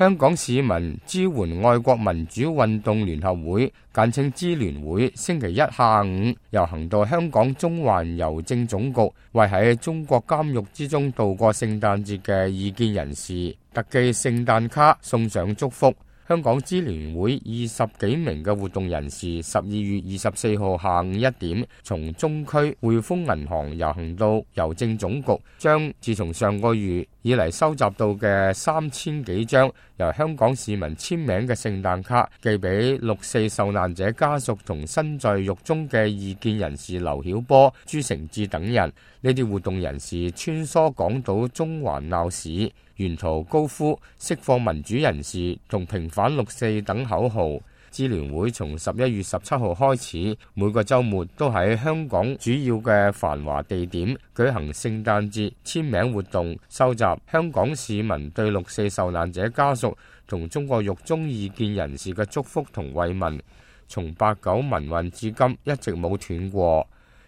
香港市民支援愛國民主運動聯合會簡稱支聯會星期一下午遊行到香港中環郵政總局，為喺中國監獄之中度過聖誕節嘅異見人士特寄聖誕卡，送上祝福。香港支聯會20幾名嘅活動人士12月24號下午1點從中區匯豐銀行遊行到郵政總局，將自從上個月以嚟收集到嘅3000幾張由香港市民簽名嘅聖誕卡寄俾6·4受難者家屬同身在獄中嘅異見人士劉曉波、朱成志等人。呢啲活動人士穿梭港島中環鬧市，沿途高呼釋放民主人士同平反6·4等口號。支聯會從11月17號開始，每個週末都喺香港主要嘅繁華地點舉行聖誕節簽名活動，收集香港市民對6·4受難者家屬同中國獄中異見人士嘅祝福同慰問。從8·9民運至今一直冇斷過。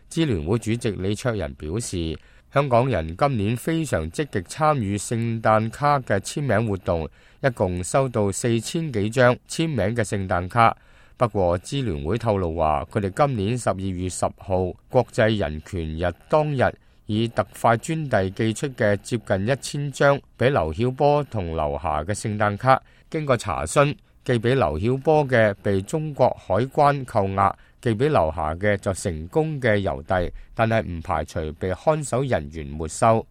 支聯會主席李卓人表示，香港人今年非常積極參與聖誕卡嘅簽名活動，一共收到4000幾張簽名嘅聖誕卡。不過支聯會透露話，佢哋今年12月10號國際人權日當日，以特快專遞寄出嘅接近1000張俾劉曉波同劉霞嘅聖誕卡，經過查詢，寄俾劉曉波嘅被中國海關扣押，寄俾劉霞嘅就成功嘅郵遞，但係唔排除被看守人員沒收。